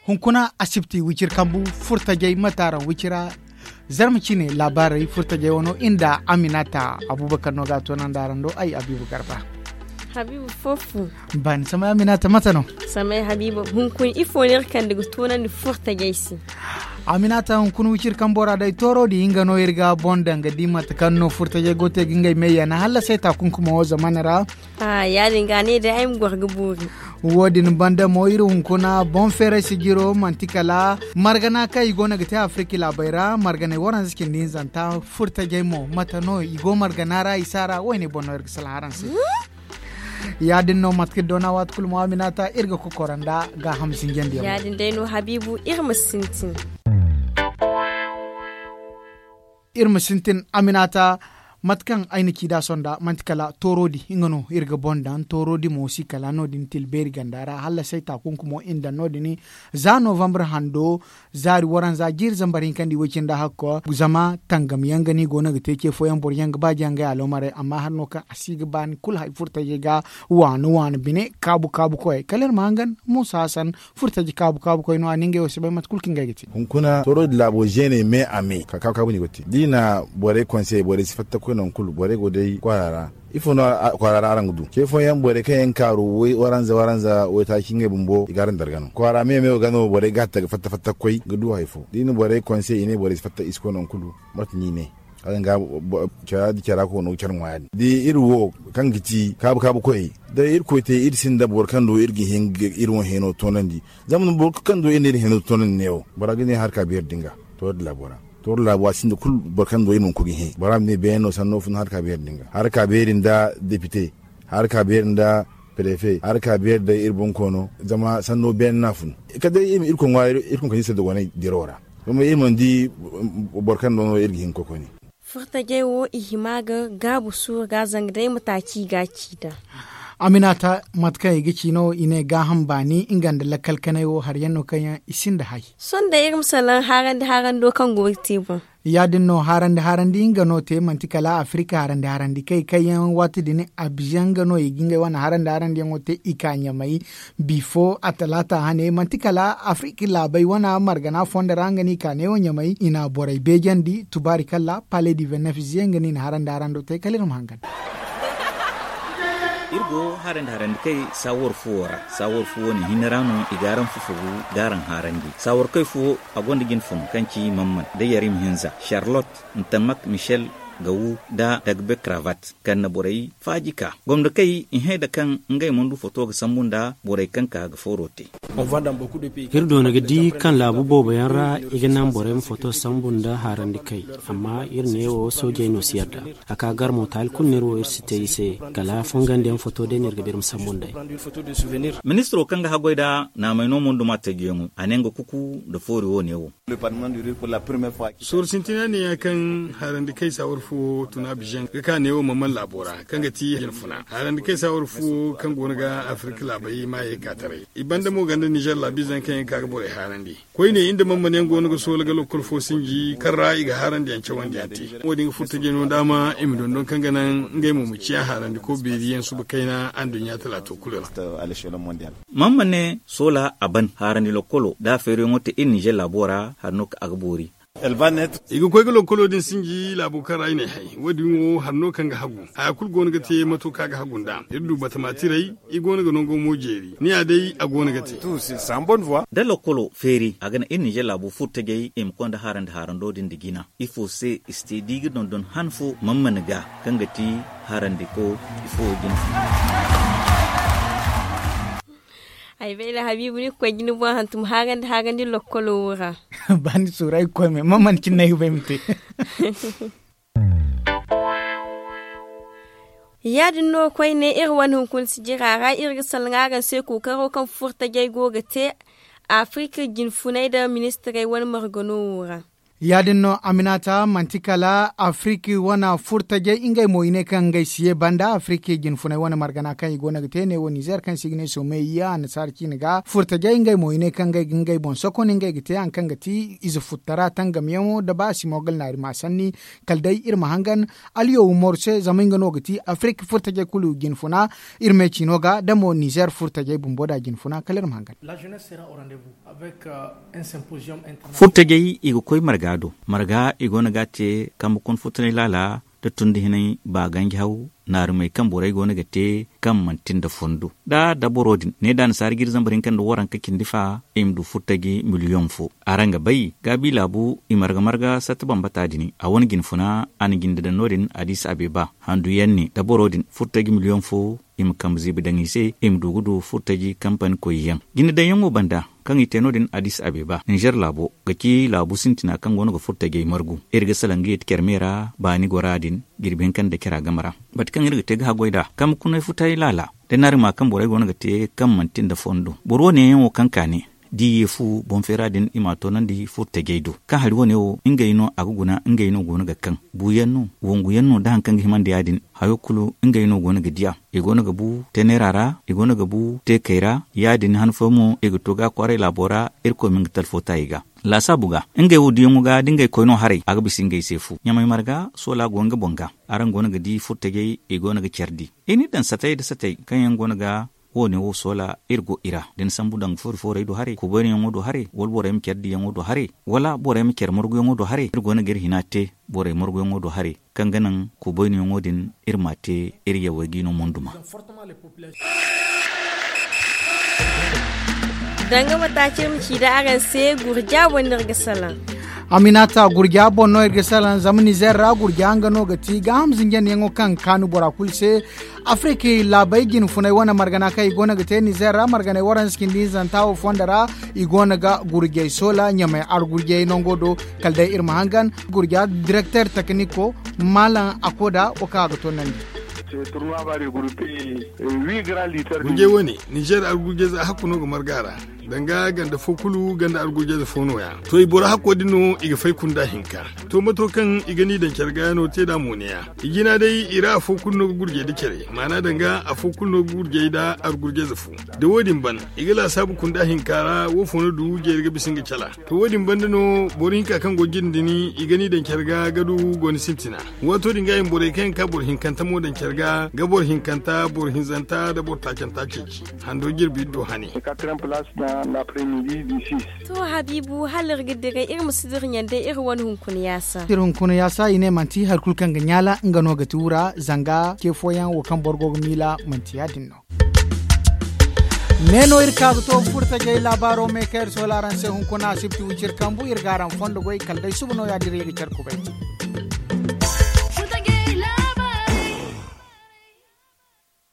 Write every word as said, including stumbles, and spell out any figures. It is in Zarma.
Hunkuna asibti wicir kambu furtajey mataaraŋ wicira. Zarma cine laabaarey furtajey wano inda aminata abubakar no ga a toonandi araŋ do ay abibu garba. Habibu foofu. Ban samay aminata mate no? Samay habibu hunkuna ifo no iri kande ga toonandi furtajey se? Aminata hunkuna wicir kambo ra day tooro di nga no iri ga boŋ daŋ ga di mate kaŋ no furtajey go te ga ngey me yana hala se taakunkumo wo zamana ra. Ya- din ga a ne day ay ma goro ga boori. Wo- din banda mo iri hunkuna boŋ feeray sijiro manti kala margana kaŋ i go no ga te afirika laabey ra marganay waranza cindi hinzanta furtajey mo mate no i go margana ra i si a ra wo- ne boŋ no iri ga salaha araŋ se. Ya- din no mate kaŋ iri doona waati kulu mo aminata iri ga kokoro nda gaaham sinjandi yaŋ. Ya- din day no habibu iri ma sintin. Iri ma sintin aminata. Mate kaŋ ay na ci nd'a sonda manti kala tooro di nga no iri ga boŋ daŋ tooro di mo si kala no- din tilbeeri ganda ra hala say taakunkumo iri na daŋ no- din za novambre hando zaari waranza jiiri zambar hinka nda iway cine nda hakko zama tangam yaŋ ga no i go no ga te ce fooyaŋ boro yaŋ ga ba jaŋ ga alomaray amma hari no kaŋ a si ga ba ni kulu hari furtajey ga waani waani bine kaabu kaabu koyey kala iri ma hangan muusa hasan furtaji kaabu kaabu koy no a ne ngey wo si bay mate kulu kaŋ ngey ga te. Hunkuna tooro din laabo zeeney me a me ka kaabu kaabu no i go ga te da i na borey konse borey si fatta koy nangu kulu borey go day kwaara ra. Ifo no kwaara ra araŋ ga du ce fooyaŋ borey kaŋ yaŋ kaaru waranza waranza waytaaci ngey bumbo i ga araŋ darga no kwaara me me wo ga no borey ga hatta ga fatta fatta ga koy ga du hari fo da i na borey konse i ne borey si fatta i si koy nangu kulu. Mate no i ne. Hala nga cara da cara ko no ga care ŋwa ya- din da iri wo kaŋ ga ti kaabu kaabu koyey da irkoy te iri sinda boro kaŋ do iri ga hin ga iri wo hino toonandi. Zama boro kaŋ do iri na iri hino toonandi neewo bora ga ne harka beeri din ga tooro da laabo ra. Tooro da laabo a sinda kulu boro kaŋ do iri mana koy ga hin bora ma ne beene no sanno fun harka beeri din ga harka beeri nda depite harka beeri nda prefe harka beeri day iri boŋ koono zama sanno beene no a fun. Kala day iri ma irkoy ŋwaaray irkoy ma kande iri se dogonay dirawo ra. Zama iri mana di boro kaŋ do no iri ga hin ga koy koyne. Furtajey wo i hima ga gaabu suuru ga zanga day mataaci i ga a ci nd'a. Aminata mate kaŋ i ga ci no i ne gaaham baani nga nda lakkal kanay wo hari yaŋ no kaŋ yaŋ i sinda hay. Sohõ day iri ma salaŋ haarandi haarando kaŋ go ga te boŋ. Ya- din no haarandi haarandi nga no te manti kala afirika haarandi haarandi kay kaŋ yaŋ waati din abizaŋ nga no i ga ngey wane haarandi haarandi yaŋo te i ka ɲamay. Bifo a talaata hane manti kala afirika laabey wane margana fondo ra nga no i ka neewo ɲamay i na borey beejandi tubaari kalla pale di vennef ziye nga no i na haarandi haarando te kala iri ma hangan. Iri go harandi harandi kay saawar fuwo ra saawar fuwo ne hinne ra no i ga araŋ fufugu ga araŋ harandi saawar kay fuwo a gonda jine fun kaŋ ci mamman da yarim hinza charlotte ntamak michel gawu da dagbe cravat kaŋ na borey faaji ka gomdo kay i hẽ da kaŋ ngey mana du foto ga sambu nda borey kaŋ ka ga fooro te. Iri doona ga di kaŋ laabu boobo yaŋ ra i ga naŋ borey ma foto sambu nda harandi kay. Amma iri neewo soojey no si yadda a ka gar mo taali kulu no iri wo iri si te i se. Kala fongandiyaŋ foto day no iri ga ba iri ma sambu nd'ey. Ministiro kaŋ ga haggoy nda naamay no mo nda ma tajiyaŋo a ne nga kuku nda foori wo neewo. Sooru sintina ne ya kaŋ harandi kay saawar fo tuna bizaŋ ga ka neewo mamman laabo ra kaŋ ga ti jine funa harandi kay saawar fo kaŋ go no ga afirka laabey maayey ka taray i banda mo ganda nizer laabizaŋ kaŋ yaŋ ga ka ga borey harandi. Koyne iri nda mamman yaŋ go no ga soola ga lokkol fo sinji kaŋ ra i ga harandi yaŋ cawandi yaŋ te. Wo- din ga furta jino daama i ma dondon kaŋ ga naŋ ngey mo ma ciya harandi ko beeri yaŋ suba kayna anduɲɲa talaato kulu ra. Mamman ne soola a ban harandi lokkolo da a feeriyaŋo te iri nizer laabo ra hari no kaŋ a ga boori. I ga koy ga lokkolo din sinji laabo kaŋ ra i ne hay wo- din wo hari no kaŋ ga hagu haya kulu go no ga te mato kaŋ a ga hagu nd'a iri du batama tiray i go no ga nango mo jeeri ni ya day a go no ga te. Da lokkolo feeri a ga naŋ iri nizer laabo furtajey i ma konda harandi harando din nda jina ifo se i si te da i ga dondon han fo mammani ga kaŋ ga ti harandi ko ifo jina. Ay bay da habiibu ni ga koy ga ni boŋ hantum haarandi haarandi lokkolo wo ra. Ba ni suuru ay ga koy me mammani cine no ay ga bay ma te. Ya- din no koyne iri wane hunkuna sijira ra iri ga salaŋ araŋ se kookaro kaŋ furtajey go ga te afirika jinfunay nda ministirey wane margano wo ra. Ya- din no, Aminata, manti kala Afirki wane furtajey, ngey mo i ne kaŋ ngey si ye banda Afirki jinfunay wane margana kaŋ i go no ga te ne wo Nizer kaŋ se i ga ne Someyiya annasaara ciine ga. Furtajey ngey mo i ne kaŋ ngey ga ngey boŋ sokon, ngey ga te hari kaŋ ga ti ize futtara tangamyaŋo nda ba simogal naari ma sanni. Kala day iri ma hangan Aliyo Umaru se, zama nga no ga ti Afirki furtajey kulu jinfuna. Iri me ciino ga da mo Nizer furtajey bumbo da jinfuna. Kala iri ma hangan. Furtajey i ga koy marga do. Marga i go no ga a te kambe kuna furtajey laala, da tundi hinay ba ganji haw, naarumey kaŋ borey go no ga te kaŋ manti nda fondo. Da dabaro din ne da annasaara ga iri zambar hinka nda waranka cindi fa, i ma du furtaji miliyoŋ fo. Araŋ ga bay gaabi laabu i marga marga satta bambata din a wane jinfuna, a na jinde daŋ no- din adis abeba handu yaŋ ne dabaro din furtaji miliyoŋ fo. I ma kambe ziibi daŋ i se, i ma du ga du furtaji kampani koy yaŋ. Jinde daŋ yaŋo banda kaŋ i te no- din adis abeba ninzer laabo ga ci laabu sintina kaŋ go no ga furtajey margu. Iri ga salaŋ ga yeeti care me ra baani gora din jirbi hinka nda care a game ra. Mate kaŋ iri ga te ga haggoy nd'a kambe kunay futay laala, da ni hari ma kaŋ borey go no ga te kaŋ manti nda fondo boro wane yaŋo kaŋ ka ne, da i ye fu boŋ feera din i m'a toonandi furtajey do kaŋ hari wane wo ngey no a ga guna ngey no go no ga kaŋ buuyaŋ no, wangu yaŋ no da hari kaŋ ga himandi ya- din. Hayo kulu ngey no go no ga diya. I go no ga bu teneera ra, i go no ga bu teekey ra. Ya- din han fooyaŋ mo i ga to ga kwaaray laabo ra. Irkoy ma nga talfo ta i ga laasaabu ga ngey wo diyaŋo ga da ngey koy no haray a ga bisa ngey se fu ɲamay marga soola go nga boŋ ga. Araŋ go no ga di furtajey i go no ga care di. I n'i daŋ satey nda satey kaŋ yaŋ go no ga wo- ne wo soola iri go i ra da ni sambu daŋ foori foorey do haray kubaynayaŋo do haray wala borey ma care diyaŋo do haray wala borey ma care marguyaŋo do haray iri go no ga iri hina te. Borey marguyaŋo do haray kaŋ ga naŋ kubaynayaŋo din iri m'a te. Iri yawey ga i no monduma. Danga mataaci iri ma ci da araŋ se gurja boŋ no iri ga salaŋ. Aminata, gurja boŋ no iri ga salaŋ zama nizer ra gurja nga no ga ti gaaham zinjandiyaŋo kaŋ ga kaanu bora kulu se. Afirka laabey jinfunay wane margana kaŋ i go no ga te nizer ra marganey waranza cindi hinzanta wo fondo ra. I go no ga gurjey soola ɲamey argurjey nango do. Kala day iri ma hangan gurja direkter tekniko malam akoda wo kaŋ a ga toonandi. Gurjey wane nizer argurjey za hakku no ga marga ra. Danga ganda fo kulu ganda argurjey za fo no- ya to i boro hakko din no i ga fay kunda hinka. To mato kaŋ i ga ni daŋ care ga no te nd'a mo ne- ya i jina day i ra afo kulu no ga gurjey nda care maana danga afo kulu no ga gurjey nda argurjey za fo. Da wo- din ban i ga laasaabu kunda hinka ra wo fo no du jeeri ga bisa nga cala. To wo- din banda no boro hinka kaŋ go jine din i ga ni daŋ care ga ga du gooni sintina. Waato din ga i ma borey kaŋ yaŋ ka boro hinkanta mo daŋ care ga ga boro hinkanta boro hinzanta nda boro taacanta ceeci. Hando jirbi iri do hane. To habiibu hala iri ga dira iri ma si dira ɲaŋ day iri wane hunkuna yaasa. Iri hunkuna yaasa i ne manti hari kulu kaŋ ga ɲaala nga no ga ti wura zanga ce fooyaŋ wo kaŋ boro go ga miila manti ya- din no. Me no iri ka ga to furtajey laabaaro me kaŋ iri soola araŋ se hunkuna asibti wiciri kambu iri ga araŋ fondo goy kala day suba no ya- din iri ga care kubay.